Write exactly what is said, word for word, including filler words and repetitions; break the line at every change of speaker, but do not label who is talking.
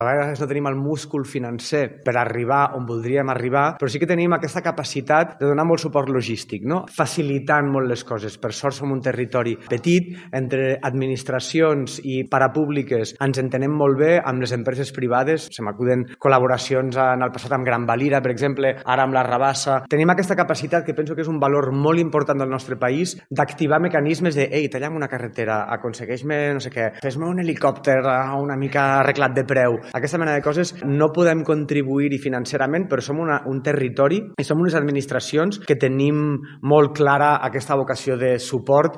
A vegades no tenim el múscul financer per arribar on voldríem arribar, però sí que tenim aquesta capacitat de donar molt suport logístic, no? Facilitant molt les coses. Per sort som un territori petit, entre administracions i parapúbliques ens entenem molt bé amb les empreses privades. Se m'acuden col·laboracions en el passat amb Gran Valira, per exemple, ara amb la Rabassa. Tenim aquesta capacitat, que penso que és un valor molt important del nostre país, d'activar mecanismes de «Ei, talla'm una carretera, aconsegueix-me no sé què, fes-me un helicòpter una mica arreglat de preu». Aquesta mena de coses no podem contribuir-hi financerament, però som una, un territori i som unes administracions que tenim molt clara aquesta vocació de suport